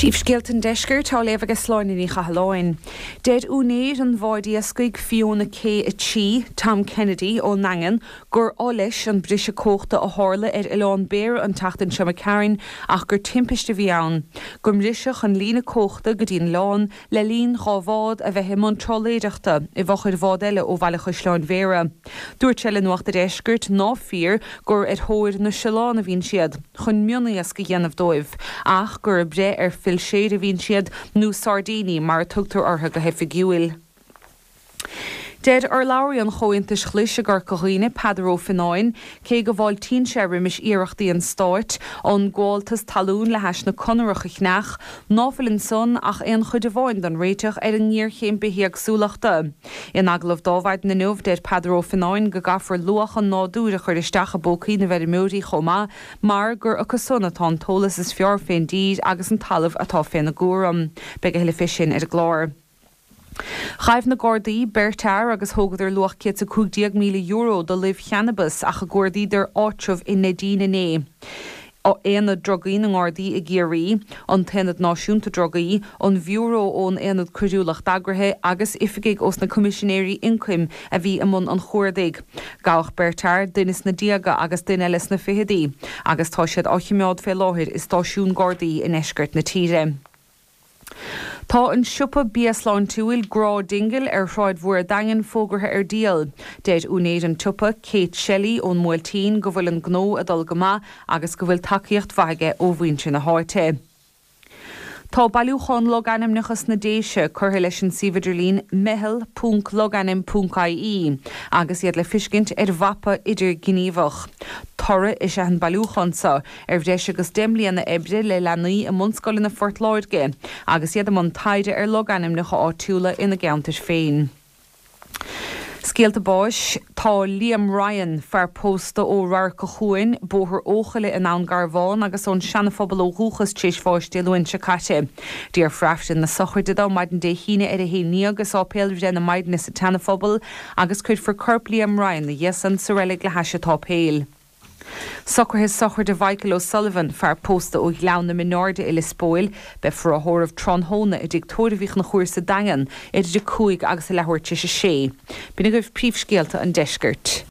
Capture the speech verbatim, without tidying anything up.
Príomhscéalta an Deiscirt á léamh ag Sláine Ní Chathalláin. Deir úinéir an bháid iascaigh Fiona K a trí, Tom Kennedy ón nDaingean, gur oth leis an briseadh cumhachta a tharla ar Oileán Béara an tseachtain seo McCarran ach gur timpiste a bhí ann, go mbriseadh an líne cumhachta go dtí an oileán le linn dhá bhád a bheith i mbun trálaeireachta i bhfochair bhád eile ó Bhaile Chaisleáin Bhéarra. Dúirt sé le Nuacht an Deiscirt nach fíor gur ar thóir na siolán a bhíonn siad chun mioniasc a dhéanamh dóibh, ach gur ag breith ar philséir a bhíonn siad nó sairdíní mar a tugtar orthu go hoifigiúil. Deir urlabhraí an Chomhaontais Ghlais i gCorca Dhuibhne Peadar Ó Fionnáin, cé go bhfáiltíonn sé roimis iarrachtaí an stáit an gabháltas talún le hais na Conarach a chneach, ná fuil ansan ach aon chuid amháin den réiteach ar an ngéarchéim bithéagsúlachta. In agallamh dá mhaidin inniu deir Peadar Ó Fionnáin go gcaithfear luach an nádúir a chur isteach i bpócaí na bhfeirmeoirí chomh maith mar gur acu san atá an t-eolas is fearr fén dtír agus an talamh atá féna gcúram. Beidh a thuilleadh fé sin ar an gclár. Ghabh na Gardaí beirt fhear agus thógadar luach céad is a cúig déag míle euro de luibh channabais ach a gcuardaíodar áitreabh i Neidín inné. Aonad Drugaí na nGardaí i gCiarraí, an tAonad Náisiúnta Drugaí, an Bhiúró ón Aonad Coiriúlacht Eagraithe agus oifigigh ós na Coimisinéirí Ioncaim a bhí i mbun an chuardaigh. Gabhadh beirt fhear, duine sna déaga agus duine eile sna fichidí, agus tá siad á choimeád fé láthair i stáisiún Gardaí i ndeisceart na tíre. Tá an siopa bia sláintiúil Grá Dingle ar Shráid Mhór an Daingin fógartha ar díol. Deir úinéir an tsiopa, Kate Shelley ón mBuailtín go bhfuil an gnó ag dul go maith agus go bhfuil tacaíocht mhaith aige ó mhuintir na háite. Tá bailiúchán logainmneacha sna Déise curtha leis an suíomh idirlín meitheal ponc logainm ponc ie agus iad le feiscint ar mhapa idirghníomhach. Toradh is ea an bailiúchán seo ar bhreis agus deich mbliana oibre le leanaí i mbunscoileanna Phort Láirge agus iad i mbun taighde ar logainmneacha áitiúla ina gceantair féin. Scéalta báis, Tá Liam Ryan, fear pósta ó Radharc an Chuain, Bóthar Eochaille in Abhainn Garbhán agus ón Seana-Phobal ó dhúchas tar éis bháis Dé Luain seo caite. Déarfar Aifreann na sochraide dó maidin Dé hAoine ar a haon déag i Sáipéal Bhreith na Maighdine sa tSeana-Phobal agus cuirfear corp Liam Ryan ina dhiaidh san sa reilig le hais an tsáipéil. Socruithe sochraide Mhichael O'Sullivan, fear pósta ó Ghleann na Mionairde i Lios Póil, beifear á thórramh tráthnóna i dtigh tórraimh Uí Chonchúir sa Daingean idir a cúig agus a leathuair tar éis a sé. B'in agaibh príomhscéalta an deiscirt.